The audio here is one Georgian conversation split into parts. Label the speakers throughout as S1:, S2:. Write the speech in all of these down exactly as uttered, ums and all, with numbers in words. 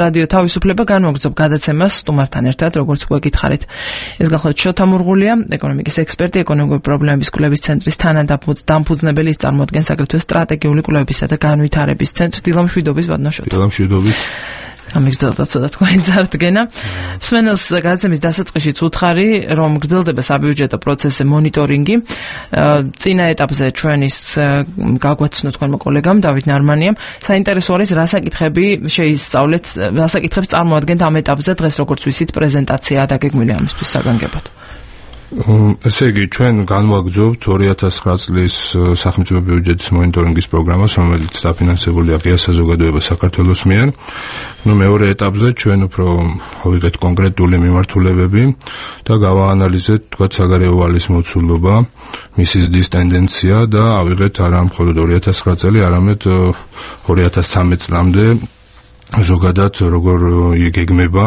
S1: რადიო თავისუფლება განმოგზობ გადაცემას სტუმართან ერთად, როგორც გვეკითხარით. ეს გახლავთ შოთა მურღულია, ეკონომიკის ექსპერტი, ეკონომიკური პრობლემების კვლევის ცენტრის თანადამფუძნებელი, ის წარმოადგენს აგრეთვე სტრატეგიული კვლევებისა და განვითარების ცენტრს. დილამშვიდობის, ბატონო შოთა.
S2: დილამშვიდობის.
S1: გამიგრძელდა ცოტა თქვენი წარდგენა. მსმენელს გადაცემის დასაწყისშიც უთხარი, რომ გრძელდება საბიუჯეტო პროცესზე მონიტორინგი. წინა ეტაპზე ჩვენის გაგვაცნო თქვენმა კოლეგამ დავით ნარმანიამ. საინტერესო არის, რა საკითხები შეისწავლეთ, რა საკითხებს წარმოადგენთ ამ ეტაპზე დღეს, როგორც ვიცით, პრეზენტაცია დაგეგმილი ამისთვის საგანგებოდ.
S2: ესე იგი, ჩვენ განვაგრძობთ ორი ათას ცხრა წლის სახელმწიფო ბიუჯეტის მონიტორინგის პროგრამას, რომელიც დაფინანსებულია ღია საზოგადოება საქართველოს მიერ. ნუ მეორე ეტაპზე ჩვენ უფრო ავიღეთ კონკრეტული მიმართულებები და გავაანალიზეთ, თქვათ, საგარეო ვალის მოცულობა, მისი ზრდის ტენდენცია და ავიღეთ არა მხოლოდ ორი ათას ცხრა წელი, არამედ ორი ათას ცხრამეტ წლამდე ზოგადად როგორ იგეგმება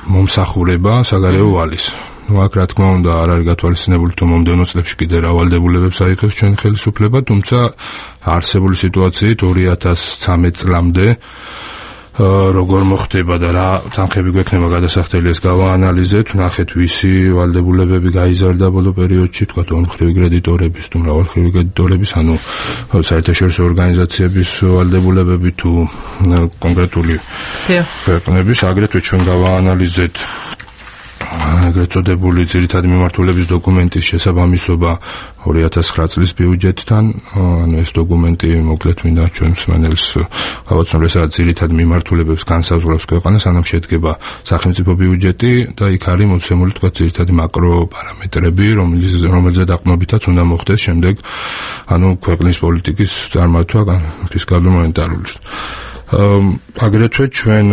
S2: მომსახურება საგარეო ვალის. ნუ აქ რა თქმა უნდა არ არის გათვალისწინებული თუ მომდევნო წლებში კიდე რა ვალდებულებებს აიღებს ჩვენ ხელისუფლება, თუმცა არსებული სიტუაციით ორი ათას ცხრამეტ წლამდე როგორ მოხდება და რა თანხები გვექნება გადასახდელი, ეს გავაანალიზეთ, ვნახეთ ვისი ვალდებულებები გაიზარდა ბოლო პერიოდში, თქვათ ორმხრივი კრედიტორების თუ მრავალმხრივი კრედიტორების, ანუ საერთაშორისო ორგანიზაციების ვალდებულებები თუ კონკრეტული ქვეყნების, აგრეთვე ჩვენ გავაანალიზეთ ეგრეთ წოდებული ძირითადი მიმართულების დოკუმენტის შესაბამისობა ორი ათას ცხრა წლის ბიუჯეტთან. ანუ ეს დოკუმენტი მოკლედ მინდა ჩვენ მსმენელს გავაცნო, სადაც ძირითადი მიმართულებებს განსაზღვრავს ქვეყანას, ანუ შედგება სახელმწიფო ბიუჯეტი და იქ არის მოცემული, თქვა, ძირითადი მაკრო პარამეტრები, რომელზეც დაყრდნობითაც უნდა მოხდეს შემდეგ ანუ ქვეყნის პოლიტიკის წარმართვა ფისკალური მონეტარული. აგრეთვე ჩვენ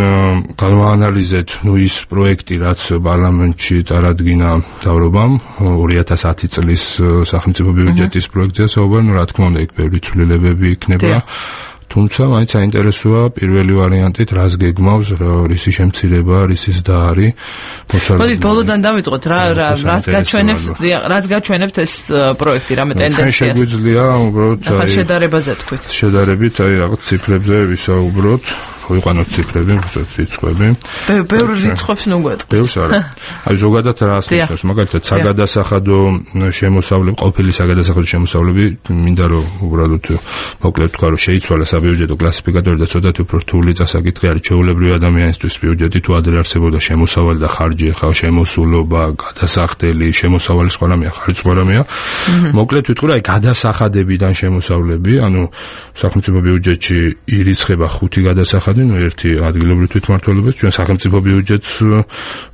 S2: გავაანალიზეთ ნუ ის პროექტი, რაც პარლამენტში წარადგინა მთავრობამ ორი ათას ათი წლის სახელმწიფო ბიუჯეტის პროექტზე საუბარი, ნუ რა თქმა უნდა იქ ბევრი ცვლილებები იქნება. თუმცა მაინც საინტერესოა პირველი ვარიანტით რას გეგმავს, რისი შემცირება, რისი ზრდა არის.
S1: მოდით ბოლოდან დავიწყოთ, რა რაც გაჩვენებთ, რაც გაჩვენებთ ეს პროექტი, რამე ტენდენციას.
S2: შეგვიძლია უბრალოდ
S1: ახლა შედარებაზე თქვით.
S2: შედარებით აი რაღაც ციფრებზე ვისაუბროთ. ვიყვანოთ ციფრები, რიცხვები.
S1: ბევრ რიცხვებს ნუ გვეტყვით.
S2: ბევრს არა. აი ზოგადად რას ნიშნავს, მაგალითად საგადასახადო შემოსავლები, ყოფილი საგადასახადო შემოსავლები, მინდა რომ უბრალოდ მოკლედ თქვა, რომ შეიცვალა საბიუჯეტო კლასიფიკატორი და ცოტათი უფრო რთული წასაკითხი არის ჩვეულებრივი ადამიანისთვის ბიუჯეტი თუ ადრე არსებობდა შემოსავალი და ხარჯი, ხა შემოსულობა, გადასახდელი, შემოსავალი სხვა რამეა, ხარჯი სხვა რამეა. მოკლედ ვიტყვი, აი გადასახადებიდან შემოსავლები, ანუ სახელმწიფო ბიუჯეტში ირიცხება ხუთი გადასახადი, ნუ ერთი ადგილობრივი თვითმმართველობის, ჩვენ სახელმწიფო ბიუჯეტს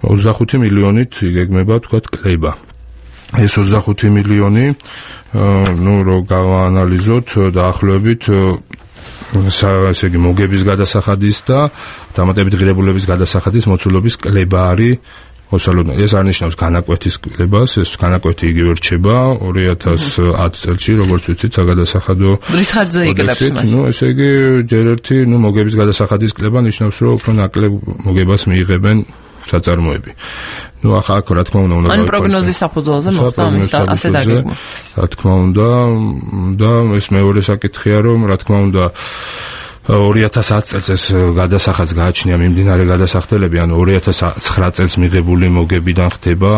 S2: ოცდახუთი მილიონით იგეგმება, თქვათ, კლება. ეს ოცდახუთი მილიონი, ნუ რო გავაანალიზოთ დაახლოებით ესე იგი მოგების გადასახადის და დამატებით ღირებულების გადასახადის მოცულობის კლება არის. ოსალოდნა ეს არნიშნავს განაკვეთის კლებას, ეს განაკვეთი იგივე რჩება ორი ათას ათი წელში, როგორც ვიცით, საგადასახადო
S1: რის ხარჯზე იკლებს მას.
S2: ნუ ესე იგი ჯერ ერთი, ნუ მოგების გადასახადის კლება ნიშნავს, რომ უფრო ნაკლებ მოგებას მიიღებენ საწარმოები. ნუ ახლა აქ რა თქმა უნდა უნდა
S1: ან პროგნოზის საფუძველზე მოხდა ამის და ასე დაგეგმვა.
S2: რა თქმა უნდა და ეს მეორე საკითხია, რომ რა თქმა უნდა ორი ათას ათი წელს ეს გადასახადს გააჩნია მიმდინარე გადასახდელები, ანუ ორი ათას ცხრა წელს მიღებული მოგებიდან ხდება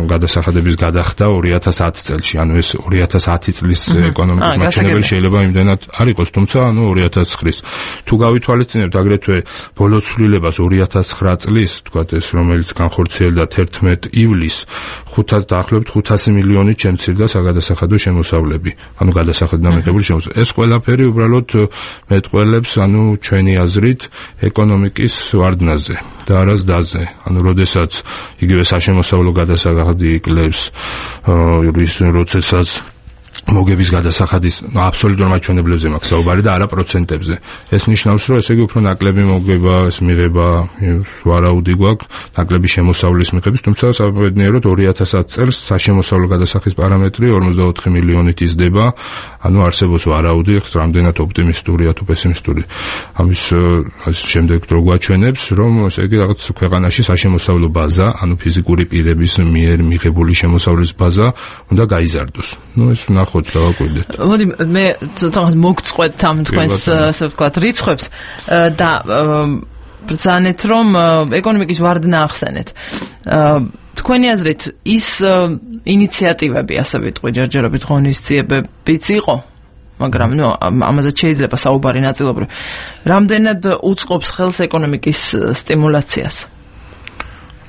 S2: გადასახადების გადახდა ორი ათას ათი წელში, ანუ ეს ორი ათას ათი წლის ეკონომიკის მაჩვენებელი შეიძლება იმდენად არ იყოს, თუმცა ანუ ორი ათას ცხრა თუ გავითვალისწინებთ აგრეთვე ბოლო ცვლილებას ორი ათას ცხრა წლის, თქვათ ეს რომელიც განხორციელდა თერთმეტ ივლისს, ხუთას დაახლოებით ხუთასი მილიონით შემცირდა საგადასახადო შემოსავლები, ანუ გადასახადიდან მიღებული შემოსავლები. ეს ყველაფერი უბრალოდ მეტყველებს, ანუ ჩვენი აზრით ეკონომიკის ვარდნაზე და არა ზრდაზე. ანუ როდესაც იგივე საშემოსავლო გადასახადი იკლებს, როდესაც მოგების გადასახადის აბსოლუტურ მაჩვენებლებზე მაქვს საუბარი და არა პროცენტებზე. ეს ნიშნავს, რომ ესე იგი უფრო ნაკლები მოგება, ეს მიღება ვარაუდი გვაქვს, ნაკლები შემოსავლის მიღების, თუმცა საბედნიეროდ ორი ათას ათი წელს საშემოსავლო გადასახადის პარამეტრი ორმოცდაოთხი მილიონით იზრდება, ანუ არსებობს ვარაუდი, რამდენად ოპტიმისტურია თუ პესიმისტური. ამის შემდეგ რო გვაჩვენებს, რომ ესე იგი რაღაც ქვეყანაში საშემოსავლო ბაზა, ანუ ფიზიკური პირების მიერ მიღებული შემოსავლის ბაზა უნდა გაიზარდოს. ნუ ეს ნახოთ ნახოთ და ვაკვირდეთ.
S1: მოდი მე ცოტა მოგწყვეტ ამ თქვენს ასე ვთქვათ რიცხვებს და ბრძანეთ რომ ეკონომიკის ვარდნა ახსენეთ. თქვენი აზრით ის ინიციატივები ასე ვიტყვი ჯერჯერობით ღონისძიებებიც იყო, მაგრამ ნუ ამაზე შეიძლება საუბარი ნაწილობრივ. რამდენად უწყობს ხელს ეკონომიკის სტიმულაციას?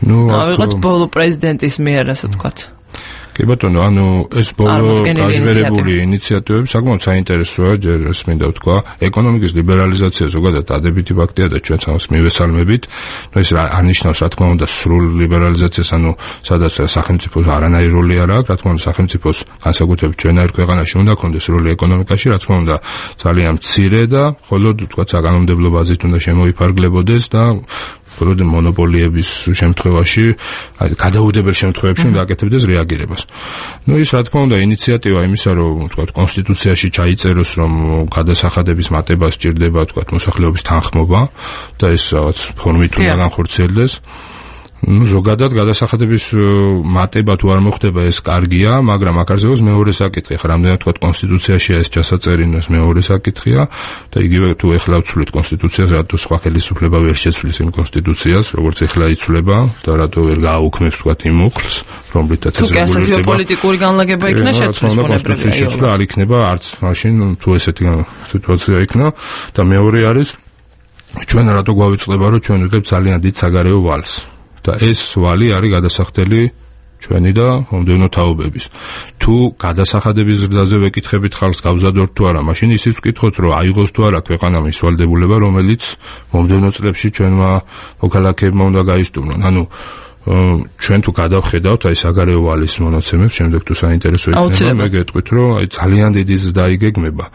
S2: ნუ
S1: ავიღოთ ბოლო პრეზიდენტის მიერ ასე ვთქვათ.
S2: კი ბატონო, ანუ ეს ბოლო გაჟღერებული ინიციატივები საკმაოდ საინტერესოა, ჯერ ეს მინდა ვთქვა, ეკონომიკის ლიბერალიზაცია ზოგადად დადებითი ფაქტია და ჩვენც ამას მივესალმებით. ნუ ეს არნიშნავს, რა თქმა უნდა, სრულ ლიბერალიზაციას, ანუ სადაც სახელმწიფოს არანაირი როლი არ აქვს, რა თქმა უნდა, სახელმწიფოს განსაკუთრებით ჩვენაირ ქვეყანაში უნდა კონდეს როლი ეკონომიკაში, რა თქმა უნდა, ძალიან მცირე და მხოლოდ ვთქვათ, საკანონმდებლო ბაზით უნდა შემოიფარგლებოდეს და მხოლოდ მონოპოლიების შემთხვევაში, გადაუდებელ შემთხვევებში უნდა აკეთებდეს რეაგირებას. ნუ ის რა თქმა უნდა ინიციატივა იმისა, რომ ვთქვათ, კონსტიტუციაში ჩაიწეროს, რომ გადასახადების მატება სჭირდება, ვთქვათ, მოსახლეობის თანხმობა და ეს რაღაც ფორმით უნდა განხორციელდეს. ნუ ზოგადად გადასახადების მატება თუ არ მოხდება ეს კარგია, მაგრამ აქ არსებობს მეორე საკითხი. ხა რამდენად ვთქვათ კონსტიტუციაში ეს ჩასაწერი ეს მეორე საკითხია და იგივე თუ ეხლა ვცვლით კონსტიტუციას, რატო სხვა ხელისუფლება ვერ შეცვლის იმ კონსტიტუციას, როგორც ეხლა იცვლება და რატო ვერ გააუქმებს ვთქვათ იმ უხლს, რომლითაც ეს რეგულირდება.
S1: თუ პოლიტიკური განლაგება იქნა შეცვლის
S2: კონსტიტუციის შეცვლა არ იქნება არც მაშინ თუ ესეთი სიტუაცია იქნა და მეორე არის ჩვენ რატო გვავიწყდება, რომ ჩვენ ვიღებთ ძალიან დიდ საგარეო ვალს. და ეს ვალი არის გადასახდელი ჩვენი და მომდევნო თაობების. თუ გადასახადების ზრდაზე ვეკითხებით ხალხს გავზადოთ თუ არა, მაშინ ისიც ვკითხოთ, რომ აიღოს თუ არა ქვეყანამ ის ვალდებულება, რომელიც მომდევნო წლებში ჩვენმა მოქალაქეებმა უნდა გაისტუმრონ. ანუ ჩვენ თუ გადავხედავთ აი საგარეო ვალის მონაცემებს, შემდეგ თუ საინტერესო იქნება, მე გეტყვით, რომ აი ძალიან დიდი ზრდა იგეგმება.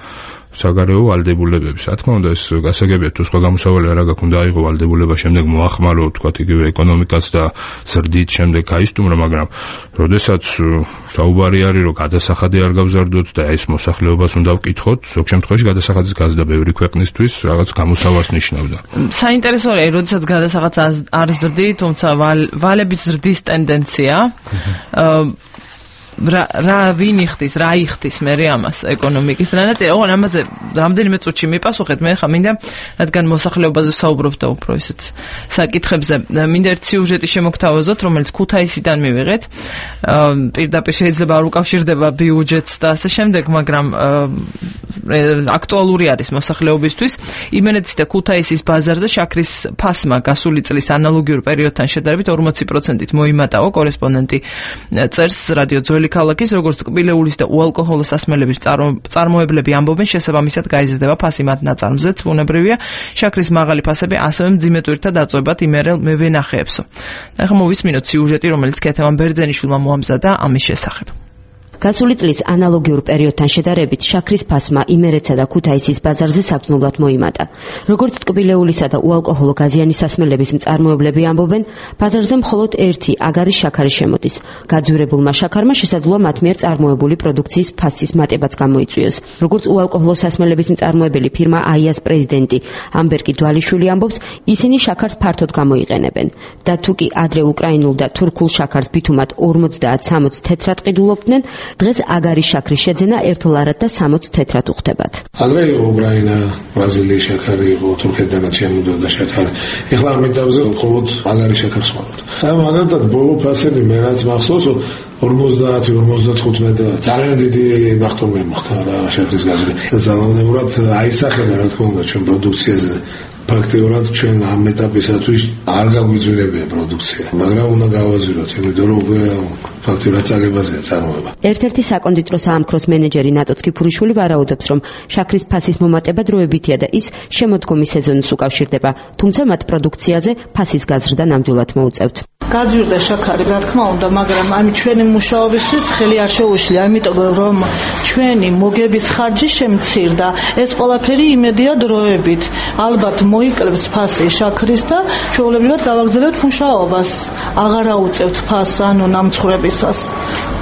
S2: საგარეო ვალდებულებების. რა თქმა უნდა, ეს გასაგებია, თუ სხვა გამოსავალი არ აქვს, უნდა აიღო ვალდებულება, შემდეგ მოახმარო, თქვათ, იგივე ეკონომიკას და ზრდით შემდეგ გაისტუმრო, მაგრამ როდესაც საუბარი არის, რომ გადასახადი არ გავზარდოთ და ეს მოსახლეობას უნდა ვკითხოთ, ზოგ შემთხვევაში გადასახადის გაზრდა ბევრი ქვეყნისთვის რაღაც გამოსავალს ნიშნავდა.
S1: საინტერესოა, როდესაც გადასახადს არ ზრდით, თუმცა ვალების ზრდის ტენდენცია რა რა ვინ იხდის, რა იხდის მე ამას ეკონომიკის რანაირად, ოღონ ამაზე რამდენიმე წუთში მიპასუხეთ, მე ხა მინდა, რადგან მოსახლეობაზე ვსაუბრობთ და უფრო ისეთ საკითხებზე, მინდა ერთ სიუჟეტი შემოგთავაზოთ, რომელიც ქუთაისიდან მივიღეთ. პირდაპირ შეიძლება არ უკავშირდება ბიუჯეტს და ასე შემდეგ, მაგრამ აქტუალური არის მოსახლეობისთვის. იმენეთის და ქუთაისის ბაზარზე შაქრის ფასმა გასული წლის ანალოგიურ პერიოდთან შედარებით ორმოცი პროცენტით მოიმატავა, კორესპონდენტი წერს რადიო ძველი ქალაქის, როგორც ტკბილეულის და უალკოჰოლო სასმელების წარმოებლები ამბობენ, შესაბამისად გაიზრდება ფასი მათ ნაწარმზეც, ბუნებრივია, შაქრის მაღალი ფასები ასევე მძიმე ტვირთად აწვევათ იმერელ მევენახეებსო. ახლა მოვისმინოთ სიუჟეტი, რომელიც ქეთევან ბერძენიშვილმა მოამზადა ამის შესახებ.
S3: გასული წლის ანალოგიურ პერიოდთან შედარებით შაქრის ფასმა იმერეთსა და ქუთაისის ბაზარზე საბრძნულად მოიმატა. როგორც ტკბილეულისა და უალკოჰოლო გაზიანი სასმელების მწარმოებლები ამბობენ, ბაზარზე მხოლოდ ერთი აგარი შაქარი შემოდის. გაძვირებულმა შაქარმა შესაძლოა მათ მიერ წარმოებული პროდუქციის ფასის მატებაც გამოიწვიოს. როგორც უალკოჰოლო სასმელების მწარმოებელი ფირმა აიას პრეზიდენტი ამბერგი დვალიშვილი ამბობს, ისინი შაქარს ფართოდ გამოიყენებენ და თუ კი ადრე უკრაინულ და თურქულ შაქარს ბითუმად ორმოცდაათ სამოცი თეთრად ყიდულობდნენ, დღეს აგარი შაქრის შეძენა ერთ ლარად და სამოცი თეთრად უხდებათ.
S4: ადრე იყო უკრაინა, ბრაზილიის შაქარი იყო, თურქეთდანაც შემოდიოდა შაქარი. ეხლა ამ ეტაპზე მხოლოდ აგარი შაქარს ვართ. აი მაგალითად ბოლო ფასები მე რაც მახსოვს ორმოცდაათი ორმოცდათხუთმეტი ძალიან დიდი ნახტომი მოხდა რა შაქრის გაზრი. ზალავნებურად აისახება რა თქმა უნდა ჩვენ პროდუქციაზე. ფაქტიურად ჩვენ ამ ეტაპისათვის არ გაგვიძვირებია პროდუქცია, მაგრამ უნდა გავაზროთ, იმიტომ რომ ფაქტიურად წაგებაზეა წარმოება.
S3: ერთ-ერთი საკონდიტრო საამქროს მენეჯერი ნატო წკიფურიშვილი ვარაუდობს, რომ შაქრის ფასის მომატება დროებითია და ის შემოდგომის სეზონს უკავშირდება, თუმცა მათ პროდუქციაზე ფასის გაზრდა ნამდვილად მოუწევთ.
S5: გაძვირდა შაქარი, რა თქმა უნდა, მაგრამ ამ ჩვენი მუშაობისთვის ხელი არ შეუშლია, ამიტომ რომ ჩვენი მოგების ხარჯი შემცირდა, ეს ყველაფერი იმედია დროებით. ალბათ მოიკლებს ფასი შაქრის და ჩვეულებრივად გავაგრძელებთ მუშაობას. აღარ აუწევთ ფასს, ანუ ნამცხრებისას.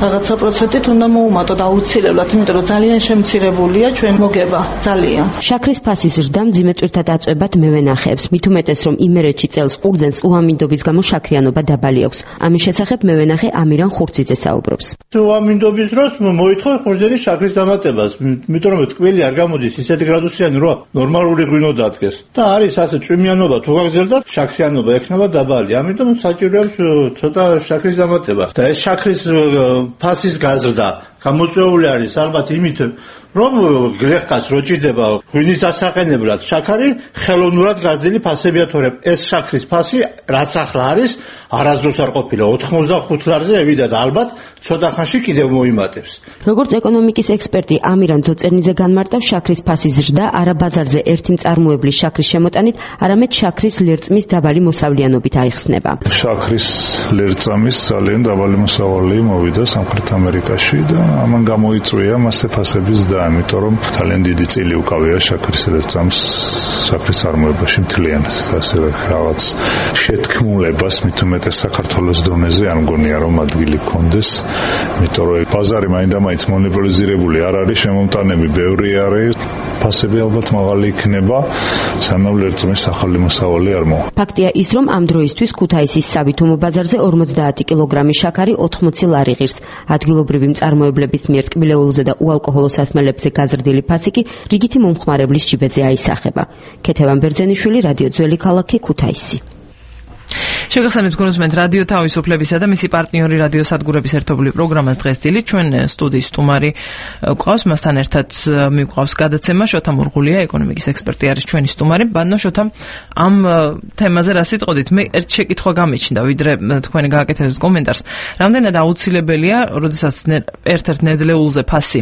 S5: რაღაცა პროცენტით უნდა მოუმატოთ აუცილებლად, იმიტომ რომ ძალიან შემცირებულია ჩვენ მოგება, ძალიან.
S3: შაქრის ფასის ზრდა მძიმე ტვირთად აწვევად მევენახეებს, მით უმეტეს რომ იმერეთში წელს ყურძენს უამინდობის გამო შაქრიანობა დაბალი აქვს. ამის შესახებ მევენახე ამირან ხურციძე საუბრობს.
S6: უამინდობის დროს მოითხოვე ყურძენის შაქრის დამატებას, იმიტომ რომ ტკბილი არ გამოდის ისეთი გრადუსიანი რა ნორმალური ღვინო დადგეს. და არის ასე წვიმიანობა თუ გაგზერდა, შაქრიანობა ექნება დაბალი. ამიტომ საჭიროებს ცოტა შაქრის დამატება. და ეს შაქრის ფასის გაზრდა გამოწვეული არის ალბათ იმით, რომ გლეხკაც რო ჭირდება ღვინის დასაყენებლად შაქარი, ხელოვნურად გაზრდილი ფასებია თორემ ეს შაქრის ფასი რაც ახლა არის, არასდროს არ ყოფილა ოთხმოცდახუთ ლარზე ევიდა და ალბათ ცოტა ხანში კიდევ მოიმატებს.
S3: როგორც ეკონომიკის ექსპერტი ამირან ძოწერნიძე განმარტავს, შაქრის ფასის ზრდა არა ბაზარზე ერთი მწარმოებლის შაქრის შემოტანით, არამედ შაქრის ლერწმის დაბალი მოსავლიანობით აიხსნება.
S7: შაქრის ლერწამის ძალიან დაბალი მოსავალი მოვიდა სამხრეთ ამერიკაში და ამან გამოიწვია მასე ფასების და ამიტომ რომ ძალიან დიდი წილი უკავია შაქრის ლერწამს შაქრის წარმოებაში მთლიანად. ასე რაღაც შეთქმულებას მით უმეტეს საქართველოს დონეზე არ მგონია რომ ადგილი გქონდეს, იმიტომ რომ ბაზარი მაინდა-მაინც მონოპოლიზირებული არ არის, შემომტანები ბევრი არის, ფასები ალბათ მაღალი იქნება, სანამ ლერწმის ახალი მოსავალი არ მოვა.
S3: ფაქტია ის, რომ ამ დროისთვის ქუთაისის სავითომო ბაზარზე ორმოცდაათი კილოგრამი შაქარი ოთხმოცი ლარი ღირს. ადგილობრივი მწარმოებლების მიერ ტკბილეულზე და უალკოჰოლო სასმელებზე გაზრდილი ფასი კი რიგითი მომხმარებლის ჯიბეზე აისახება. ქეთევან ბერძენიშვილი, რადიო ძველი ქალაქი, ქუთაისი.
S1: შეგახსენებთ გულისხმობთ რადიო თავისუფლებისა და მისი პარტნიორი რადიო სადგურების ერთობლივ პროგრამას დღეს დილით ჩვენ სტუდიის სტუმარი გვყავს, მასთან ერთად მიგვყავს გადაცემა შოთა მურღულია, ეკონომიკის ექსპერტი არის ჩვენი სტუმარი. ბანო შოთა, ამ თემაზე რა სიტყოდით? მე ერთ შეკითხვა გამიჩნდა, ვიდრე თქვენი გააკეთებთ კომენტარს. რამდენად აუცილებელია, როდესაც ერთ-ერთ ნედლეულზე ფასი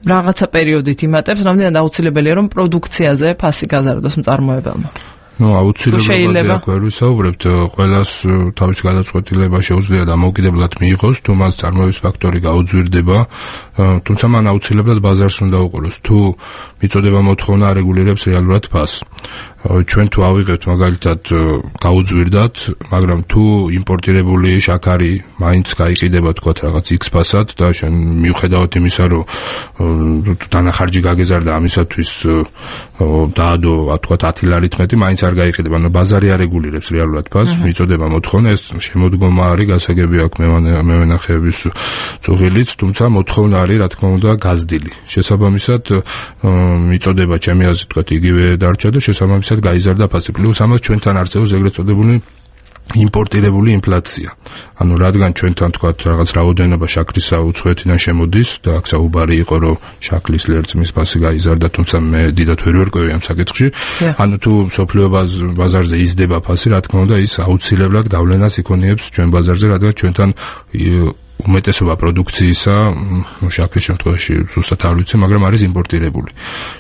S1: რაღაცა პერიოდით იმატებს, რამდენად აუცილებელია რომ პროდუქციაზე ფასი გაზარდოს მწარმოებელმა?
S2: ნუ აუცილებლად აქ ვერ ვისაუბრებთ, ყველას თავის გადაწყვეტილება შეუძლია და მოკიდებლად მიიღოს, თუ მას წარმოების ფაქტორი გაუძვირდება, თუმცა მან აუცილებლად ბაზარს უნდა უყუროს. თუ მიწოდება მოთხოვნა არეგულირებს რეალურად ფასს. ჩვენ თუ ავიღებთ მაგალითად გაუძვირდათ, მაგრამ თუ იმპორტირებული შაქარი მაინც გაიყიდება თქვათ რაღაც X ფასად და შენ მიუხედავად იმისა, რომ დანახარჯი გაგეზარდა ამისათვის დაადო თქვათ ათი ლარით მეტი, მაინც არ გაიყიდება. ანუ ბაზარი არეგულირებს რეალურად ფასს, მიწოდება მოთხოვნა, ეს შემოდგომა არის, გასაგები აქვს მევენახეების წუღილიც, თუმცა მოთხოვნა არის რა თქმა უნდა გაზრდილი. შესაბამისად მიწოდება ჩემი აზრით თქვათ იგივე დარჩა და შესაბამისად გაიზარდა ფასი. პლუს ამას ჩვენთან არსებობს ეგრეთ წოდებული იმპორტირებული ინფლაცია. ანუ რადგან ჩვენთან თქვათ რაღაც რაოდენობა შაქრისა უცხოეთიდან შემოდის და აქ საუბარი იყო რომ შაქრის ლერწმის ფასი გაიზარდა, თუმცა მე დიდად ვერ ვერკვევი ამ საკითხში. ანუ თუ მსოფლიო ბაზარზე იზრდება ფასი, რა თქმა უნდა ის აუცილებლად გავლენას იქონიებს ჩვენ ბაზარზე, რადგან ჩვენთან უმეტესობა პროდუქციისა შაქრის შემთხვევაში ზუსტად არ ვიცი, მაგრამ არის იმპორტირებული.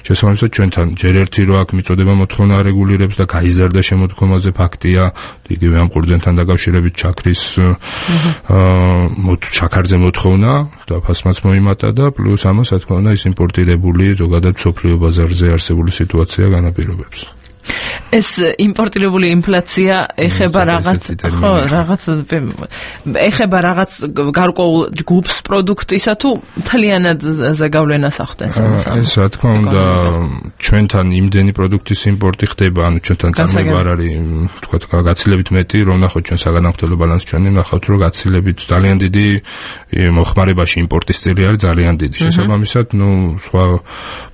S2: შესაბამისად ჩვენთან ჯერ ერთი რო აქ მიწოდება მოთხოვნა არეგულირებს და გაიზარდა შემოდგომაზე ფაქტია, იგივე ამ ყურძენთან დაკავშირებით შაქრის შაქარზე მოთხოვნა და ფასმაც მოიმატა და პლუს ამას რა თქმა უნდა ის იმპორტირებული ზოგადად მსოფლიო ბაზარზე არსებული სიტუაცია განაპირობებს.
S1: ეს იმპორტირებული ინფლაცია ეხება რაღაც ხო რაღაც ეხება რაღაც გარკვეულ ჯგუფს პროდუქტისა თუ მთლიანად ზეგავლენას ახდენს ამას?
S2: ეს რა თქმა უნდა ჩვენთან იმდენი პროდუქტის იმპორტი ხდება, ანუ ჩვენთან წარმოება არ არის თქვა გაცილებით მეტი, რომ ნახოთ ჩვენ საგანმანათლებლო ბალანსი ჩვენი, ნახავთ რომ გაცილებით ძალიან დიდი მოხმარებაში იმპორტის წილი არის ძალიან დიდი. შესაბამისად, ნუ სხვა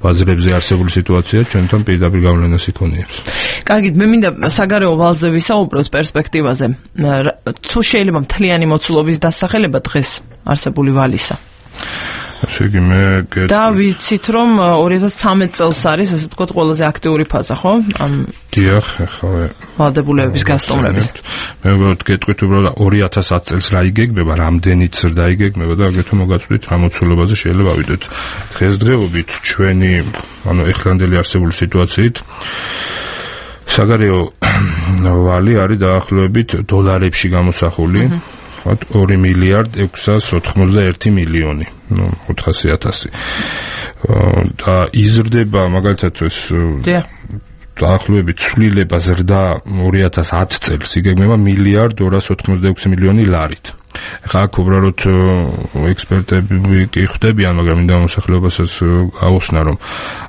S2: ბაზრებზე არსებული სიტუაცია ჩვენთან პირდაპირ გავლენას იქონიებს.
S1: კარგით, მე მინდა საგარეო ვალზე ვისაუბროთ პერსპექტივაზე. თუ შეიძლება მთლიანი მოცულობის დასახელება დღეს არსებული ვალისა?
S2: ასე იგი მე
S1: და ვიცით რომ ორი ათას ცხრამეტ წელს არის ასე თქვა ყველაზე აქტიური ფაზა, ხო? ამ
S2: დიახ, ახლა
S1: ვალდებულებების გასტუმრების.
S2: მე ვუყურებთ გეტყვით უბრალოდ ორი ათას ათი წელს რა იგეგმება, რამდენიც ზრდა იგეგმება და აგრეთვე მოგაწვდით რა მოცულობაზე შეიძლება ავიდეთ. დღესდღეობით ჩვენი, ანუ ეხლანდელი არსებული სიტუაციით საგარეო ვალი არის დაახლოებით დოლარებში გამოსახული. ორი მილიარდ ექვსას ოცდაერთი მილიონი, ნუ ოთხასი ათასი. და იზრდება მაგალითად ეს დაახლოებით ცვლილება ზრდა ორი ათას ათი წელს იგეგმება მილიარდ ორას ოთხმოცდაექვსი მილიონი ლარით. ხა აქ უბრალოდ ექსპერტები კი ხვდებიან, მაგრამ მინდა მოსახლეობასაც გაუხსნა, რომ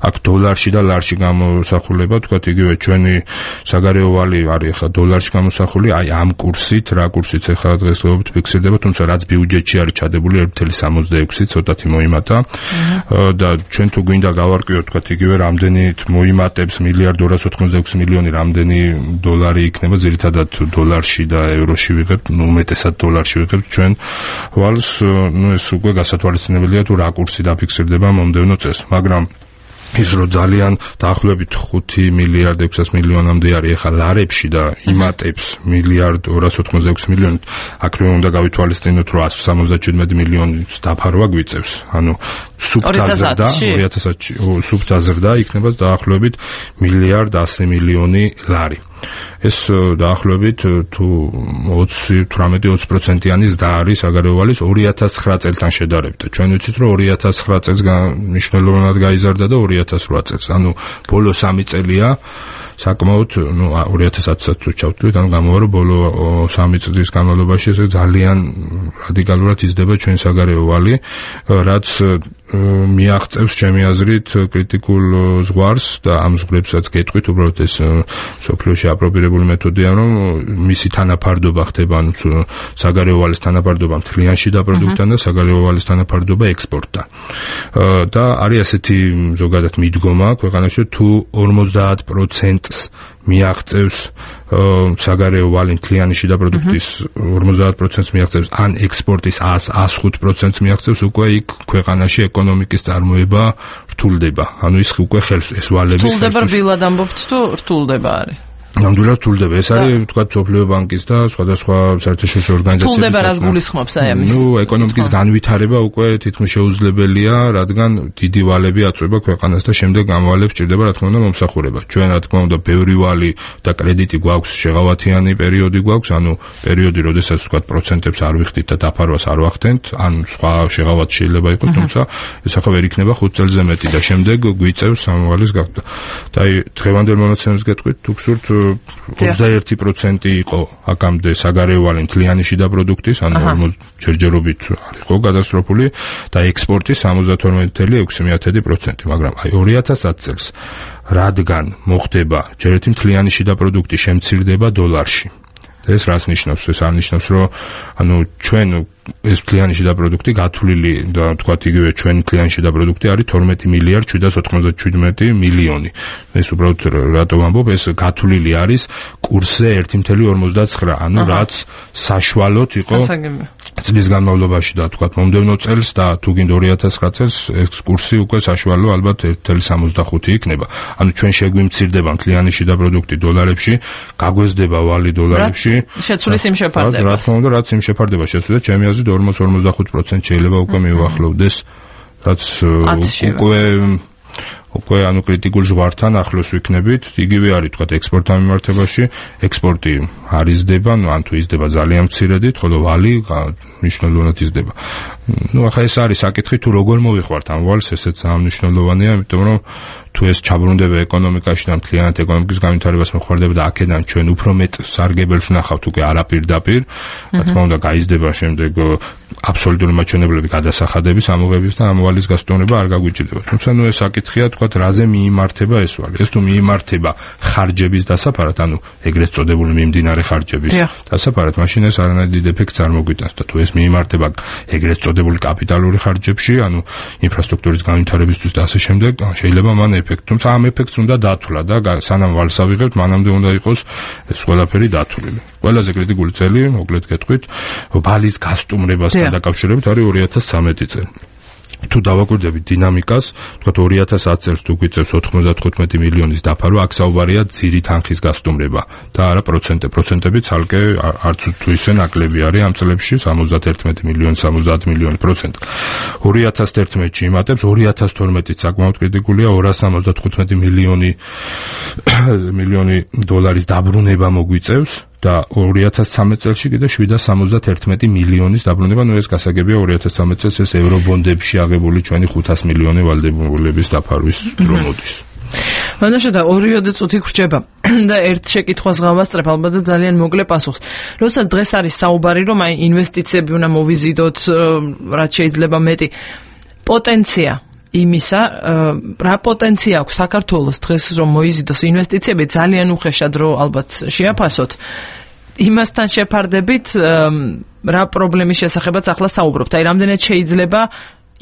S2: აქ დოლარში და ლარში გამოსახულება, თქვათ იგივე ჩვენი საგარეო ვალი არის ხა დოლარში გამოსახული, აი ამ კურსით, რა კურსით ხა დღესდღეობით ფიქსირდება, თუმცა რაც ბიუჯეტში არის ჩადებული ერთი კoma სამოცდაექვსი ცოტათი მოიმატა და ჩვენ თუ გვინდა გავარკვიოთ, თქვათ იგივე რამდენით მოიმატებს მილიარდ ორას ოთხმოცდაექვსი მილიონი, რამდენი დოლარი იქნება, ძირითადად დოლარში და ევროში ვიღებთ, ნუ უმეტესად დოლარში ვიღებთ ჩვენ ვალს, ნუ ეს უკვე გასათვალისწინებელია თუ რა კურსი დაფიქსირდება მომდევნო წელს, მაგრამ ის რო ძალიან დაახლოებით ხუთი მილიარდ ექვსას მილიონამდე არის ახლა ლარებში და იმატებს მილიარდ ორას ოთხმოცდაექვსი მილიონი, აქ რომ უნდა გავითვალისწინოთ, რომ ასი სამოცდაჩვიდმეტი მილიონის დაფარვა გვიწევს, ანუ სუფთა ზრდა ორი ათას ათში სუფთა ზრდა იქნება დაახლოებით მილიარდ ასი მილიონი ლარი. ეს დაახლოებით თუ ოცი თვრამეტი ოცი პროცენტიანი ზრდა არის საგარეო ვალის ორი ათას ცხრა წელთან შედარებით. ჩვენ ვიცით, რომ ორი ათას ცხრა წელს მნიშვნელოვნად გაიზარდა და ორი ათას რვა წელს. ანუ ბოლო სამი წელია საკმაოდ, ნუ ორი ათას ათსაც თუ ჩავთვლით, ანუ გამოვა, რომ ბოლო სამი წლის განმავლობაში ეს ძალიან რადიკალურად იზრდება ჩვენ საგარეო ვალი, რაც მიაღწევს ჩემი აზრით კრიტიკულ ზღვარს და ამ ზღვრებსაც გეტყვით, უბრალოდ ეს სოფლიოში აპრობირებული მეთოდია, რომ მისი თანაფარდობა ხდება, ანუ საგარეო ვალის თანაფარდობა მთლიან შიდა პროდუქტთან და საგარეო ვალის თანაფარდობა ექსპორტთან. და არის ასეთი ზოგადად მიდგომა ქვეყანაში, თუ ორმოცდაათ პროცენტს მიაღწევს საგარეო ვალი მთლიანი შიდა პროდუქტის ორმოცდაათ პროცენტს მიაღწევს, ან ექსპორტის ას ხუთ პროცენტს მიაღწევს, უკვე იქ ქვეყანაში ეკონომიკის წარმოება რთულდება. ანუ ის უკვე ხელს ეს ვალები
S1: რთულდება, რბილად ამბობთ თუ რთულდება არის?
S2: ნამდვილად რთულდება. ეს არის თქვა სოფლიო ბანკის და სხვადასხვა საერთაშორისო ორგანიზაციების
S1: რთულდება, რაც გულისხმობს აი ამის.
S2: ნუ ეკონომიკის განვითარება უკვე თითქმის შეუძლებელია, რადგან დიდი ვალები აწვება ქვეყანას და შემდეგ ამ ვალებს ჭირდება რა თქმა უნდა მომსახურება. ჩვენ რა თქმა უნდა ბევრი ვალი და კრედიტი გვაქვს, შეღავათიანი პერიოდი გვაქვს, ანუ პერიოდი, როდესაც თქვა პროცენტებს არ ვიხდით და დაფარვას არ ვახდენთ, ან სხვა შეღავათი შეიძლება იყოს, თუმცა ეს ახლა ვერ იქნება ხუთ წელზე მეტი და შემდეგ გვიწევს ამ ვალის გახდა. და აი დღევანდელ მონაცემებს გეტყვით, თუ გსურთ ოცდაერთი პროცენტი იყო აქამდე საგარეო ვალი მთლიანი შიდა პროდუქტის, ანუ ორმოცდაათი ჯერჯერობით იყო გადასტროფული და ექსპორტის სამოცდათორმეტი კoma ექვსი პროცენტი, მაგრამ აი ორი ათას ათი წელს რადგან მოხდება ჯერ ერთი მთლიანი შიდა პროდუქტი შემცირდება დოლარში. ეს რას ნიშნავს? ეს არნიშნავს, რომ ანუ ჩვენ ეს მთლიანი შიდა პროდუქტი გათვლილი და თქვათ იგივე ჩვენი მთლიანი შიდა პროდუქტი არის თორმეტი მილიარდ შვიდას ოცდაშვიდმეტი მილიონი. ეს უბრალოდ რატო ვამბობ, ეს გათვლილი არის კურსზე ერთი კoma ორმოცდაცხრა, ანუ რაც საშუალოდ იყო წლის განმავლობაში და თქვათ მომდევნო წელს და თუ გინდა ორი ათას ცხრა წელს ეს კურსი უკვე საშუალო ალბათ ერთი კoma სამოცდახუთი იქნება. ანუ ჩვენ შეგვიმცირდება მთლიანი შიდა პროდუქტი დოლარებში, გაგვეზდება ვალი დოლარებში.
S1: შეცვლის იმ შეფარდება.
S2: რა თქმა უნდა, რაც იმ შეფარდება შეცვლა, ჩემი აზრით ორმოცდაათ კoma ორმოცდახუთ პროცენტი შეიძლება უკვე მივახლოვდეს, რაც უკვე უკვე ანუ კრიტიკულ ზღვართან ახლოს ვიქნებით. იგივე არის თქვა ექსპორტთან მიმართებაში, ექსპორტი არ იზრდება, ну ან თუ იზრდება ძალიან მცირედით, ხოლო ვალი მნიშვნელოვნად იზრდება. ну ახლა ეს არის საკითხი, თუ როგორ მოვიხვალთ ამ ვალს, ესეც მნიშვნელოვანია, იმიტომ რომ თუ ეს ჩაბრუნდება ეკონომიკაში და მთლიანად ეკონომიკის განვითარებას მოხმარდება და აქედან ჩვენ უფრო მეტ სარგებელს ვნახავთ უკვე არაპირდაპირ, რა თქმა უნდა გაიზრდება შემდეგ აბსოლუტური მაჩვენებლები გადასახადების ამოღების და ამ ვალის გასტოვნება არ გაგვიჭირდება. თუმცა ნუ ეს საკითხია, თქვა რაზე მიიმართება ეს ვალი. ეს თუ მიიმართება ხარჯების დასაფარად, ანუ ეგრეთ წოდებული მიმდინარე ხარჯების დასაფარად, მაშინ ეს არანაირ ეფექტს არ მოგვიტანს და თუ ეს მიიმართება ეგრეთ წოდებული კაპიტალური ხარჯებში, ანუ ინფრასტრუქტურის განვითარებისთვის და ასე შემდეგ, შეიძლება მან ეფექტი, თუმცა ამ ეფექტს უნდა დათვლა და სანამ ვალს ავიღებთ, მანამდე უნდა იყოს ეს ყველაფერი დათვლილი. ყველაზე კრიტიკული წელი, მოკლედ გეტყვით, ვალის გასტუმრებასთან დაკავშირებით არის ორი ათას ცხრამეტი წელი. თუ დავაკვირდებით დინამიკას, თქვათ ორი ათას ათი წელს თუ გვიწევს ოთხმოცდათხუთმეტი მილიონის დაფარვა, აქ საუბარია ძირი თანხის გასტუმრება და არა პროცენტე. პროცენტები ცალკე არც თუ ისე ნაკლები არის ამ წლებში, სამოცდაათერთმეტი მილიონი, სამოცდაათ მილიონი პროცენტი. ორი ათას თერთმეტში იმატებს, ორი ათას თორმეტიც საკმაოდ კრიტიკულია, ორას სამოცდათხუთმეტი მილიონი მილიონი დოლარის დაბრუნება მოგვიწევს. და ორი ათას ცხრამეტ წელში კიდე შვიდას სამოცდათერთმეტი მილიონის დაბრუნება, ნუ ეს გასაგებია ორი ათას ცხრამეტ წელს ეს ევრობონდებში აღებული ჩვენი ხუთას მილიონი ვალდებულების დაფარვის დრო მოდის.
S1: მანაშა და ორიოდე წუთი გრჩება და ერთ შეკითხვას გავასწრებ ალბათ და ძალიან მოკლე პასუხს. როცა დღეს არის საუბარი, რომ აი ინვესტიციები უნდა მოვიზიდოთ, რაც შეიძლება მეტი პოტენცია იმისა, რა პოტენცია აქვს საქართველოს დღეს რომ მოიზიდოს ინვესტიციები, ძალიან უხეშად რო ალბათ შეაფასოთ. იმასთან შეფარდებით რა პრობლემის შესახებაც ახლა საუბრობთ. აი რამდენად შეიძლება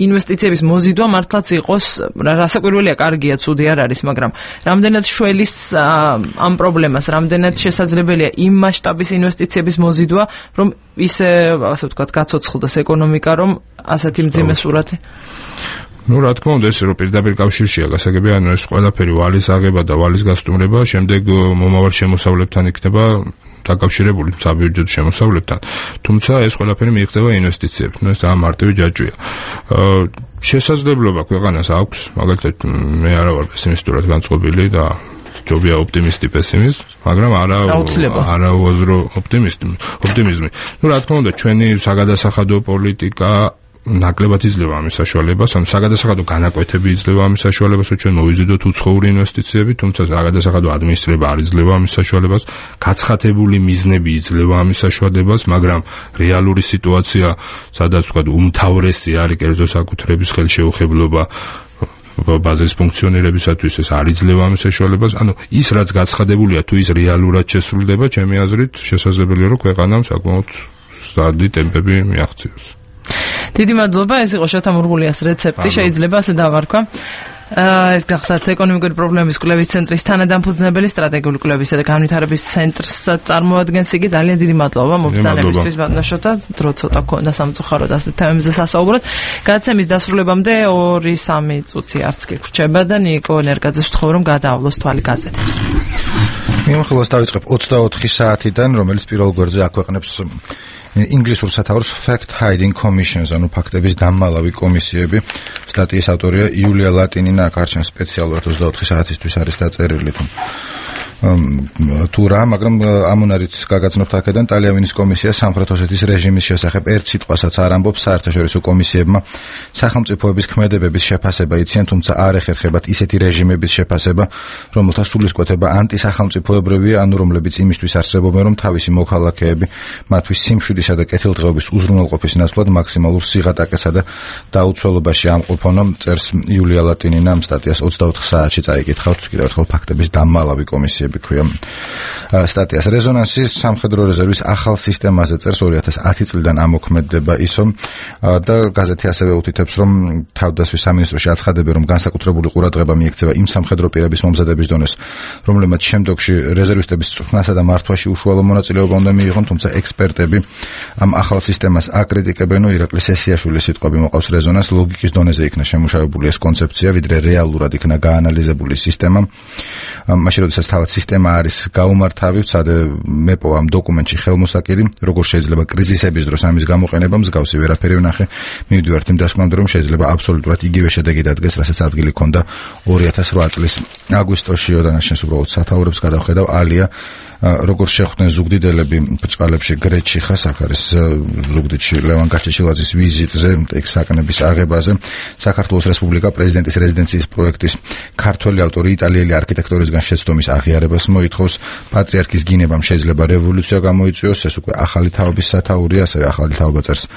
S1: ინვესტიციების მოზიდვა მართლაც იყოს, რასაკვირველია, კარგია, ცუდი არ არის, მაგრამ რამდენად შველის ამ პრობლემას, რამდენად შესაძლებელია იმ მასშტაბის ინვესტიციების მოზიდვა, რომ ისე, ასე ვთქვათ, გაცოცხლდეს ეკონომიკა, რომ ასეთი მძიმე სურათი.
S2: Ну, რა თქმა უნდა, ეს რო პირდაპირ კავშირშია გასაგები, ანუ ეს ყველაფერი ვალის აღება და ვალის გასტუმრება, შემდეგ მომავალ შემოსავლებთან იქნება დაკავშირებული საბიუჯეტო შემოსავლებთან. თუმცა ეს ყველაფერი მიიღწევა ინვესტიციებს. ნუ ეს ამარტივი ჯაჭვია. შესაძლებლობა ქვეყანას აქვს, მაგალითად, მე არა ვარ პესიმისტურად განწყობილი და ჯობია ოპტიმისტი პესიმიზმი, მაგრამ არა არა უაზრო ოპტიმიზმი. ოპტიმიზმი. ნუ რა თქმა უნდა, ჩვენი საგადასახადო პოლიტიკა ნაკლებად იძლევა ამის საშუალებას, ანუ საგადასახადო განაკვეთები იძლევა ამის საშუალებას, რომ ჩვენ მოვიზიდოთ უცხოური ინვესტიციები, თუმცა საგადასახადო ადმინისტრება არ იძლევა ამის საშუალებას, გაცხადებული მიზნები იძლევა ამის საშუალებას, მაგრამ რეალური სიტუაცია, სადაც ვთქვათ, უმთავრესი არის კერძო საკუთრების ხელშეუხებლობა ბაზის ფუნქციონირებისათვის, ეს არ იძლევა ამის საშუალებას, ანუ ის რაც გაცხადებულია, თუ ის რეალურად შესრულდება, ჩემი აზრით, შესაძლებელია, რომ ქვეყანამ საკმაოდ სტარდი ტემპები მიაღწიოს.
S1: დიდი მადლობა, ეს იყო შოთა მურღულიას რეცეპტი, შეიძლება ასე დავარქვა. ეს გახდათ ეკონომიკური პრობლემების კვლევის ცენტრის თანადამფუძნებელი, სტრატეგიული კვლევისა და განვითარების ცენტრს წარმოადგენს იგი. ძალიან დიდი მადლობა მობრძანებისთვის, ბატონო შოთა, დრო ცოტა გქონდა სამწუხაროდ ასეთ თემებზე სასაუბრად. გადაცემის დასრულებამდე ორი სამი წუთი არც კი გრჩება და ნიკო ნერგაძეს ვთხოვ, რომ გადაავლოს თვალი გაზეთებს.
S8: მიმოხილვას დავიწყებ ოცდაოთხი საათიდან, რომელიც პირველ გვერდზე აქვეყნებს ინგლისურ სათაურს Fact Hiding Commissions, ანუ ფაქტების დამმალავი კომისიები. სტატიის ავტორია იულია ლატინინა, აქ არჩევს სპეციალურად ოცდაოთხი საათისთვის არის დაწერილი თუ თუ რა, მაგრამ ამუნარიც გაგაცნობთ აქედან ტალიამინის კომისია სამხრეთ ოსეთის რეჟიმის შესახებ ერთ სიტყვასაც არ ამბობს. საერთაშორისო კომისიებმა სახელმწიფოების ქმედებების შეფასება იციან, თუმცა არ ეხერხებათ ისეთი რეჟიმების შეფასება, რომელთა სულისკვეთება ანტისახელმწიფოებრივია, ანუ რომლებიც იმისთვის არსებობენ, რომ თავისი მოქალაქეები მათთვის სიმშვიდისა და კეთილდღეობის უზრუნველყოფის ნაცვლად მაქსიმალურ სიღატაკესა და დაუცველობაში ამყოფონ. წერს იულია ლატინინა ამ სტატიას ოცდაოთხ საათში წაიკითხავთ, კიდევ ერთხელ ფაქტების დამმალავი კომისიები ქვია სტატიას. რეზონანსი სამხედრო რეზერვის ახალ სისტემაზე წერს, ორი ათას ათი წლიდან ამოქმედება ისო და გაზეთი ასევე უთითებს, რომ თავდაცვის სამინისტროში აცხადებენ, რომ განსაკუთრებული ყურადღება მიექცევა იმ სამხედრო პირების მომზადების დონეს, რომლებმაც შემდგომში რეზერვისტების წვრთნასა და მართვაში უშუალო მონაწილეობა უნდა მიიღონ, თუმცა ექსპერტები ამ ახალ სისტემას აკრიტიკებენ. ირაკლი სესიაშვილის სიტყვები მოყავს რეზონანს, ლოგიკის დონეზე იქნა შემუშავებული ეს კონცეფცია, ვიდრე რეალურად იქნა გაანალიზებული სისტემა. მაშინ როდესაც თავად სისტემა არის გაუმართავი, ცადე მეპო ამ დოკუმენტში ხელმოსაკირი, როგორ შეიძლება კრიზისების დროს ამის გამოყენება, მსგავსი ვერაფერი ვნახე. მივდივართ იმ დასკვნამდე, რომ შეიძლება აბსოლუტურად იგივე შედეგი დადგეს, რასაც ადგილი ჰქონდა ორი ათას რვა წლის აგვისტოში, ოდანაშენს უბრალოდ სათაურებს გადავხედავ. ალია როგორ შეხვდნენ ზუგდიდელები ბრჭყალებში გრეჩი ხას, აქ არის ზუგდიდში ლევან გაჩეჩილაძის ვიზიტზე, ეგ საკნების აღებაზე. საქართველოს რესპუბლიკა პრეზიდენტის რეზიდენციის პროექტის ქართველი ავტორი იტალიელი არქიტექტორისგან შეცდომის აღიარებას მოითხოვს. პატრიარქის გინებამ შეიძლება რევოლუცია გამოიწვიოს, ეს უკვე ახალი თაობის სათაურია, ასევე ახალი თაობა წერს.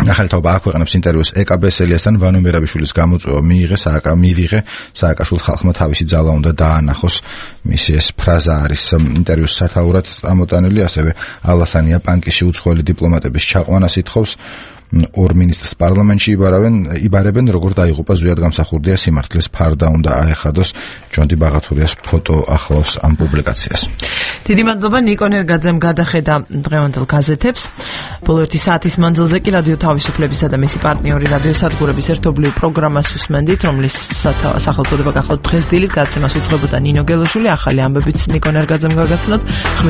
S8: ახალი თაობა აქვეყნებს ინტერვიუს ეკა ბესელიასთან. ვანო მერაბიშვილის გამოწვევა მიიღე სააკა მივიღე სააკაშვილ ხალხმა თავისი ძალა უნდა დაანახოს, მისი ეს ფრაზა არის ინტერვიუს სათაურად ამოტანილი. ასევე ალასანია პანკიში უცხოელი დიპლომატების ჩაყვანას ითხოვს. ორ მინისტრს პარლამენტში იბარავენ, იბარებენ, როგორ დაიღუპა ზვიად გამსახურდია სიმართლის ფარდა უნდა აეხადოს. ჯონდი ბაღათურიას ფოტო ახლავს ამ პუბლიკაციას.
S1: დიდი მადლობა ნიკო ნერგაძემ გადახედა დღევანდელ გაზეთებს. ბოლო ერთი საათის მანძილზე კი რადიო თავისუფლებისა და მისი პარტნიორი რადიო სადგურების ერთობლივ პროგრამას უსმენდით, რომლის სახელწოდება გახლავთ დღეს დილით. გაცემას უძღვებოდა ნინო გელოშვილი, ახალი ამბებიც ნიკო ნერგაძემ გაგაცნოთ.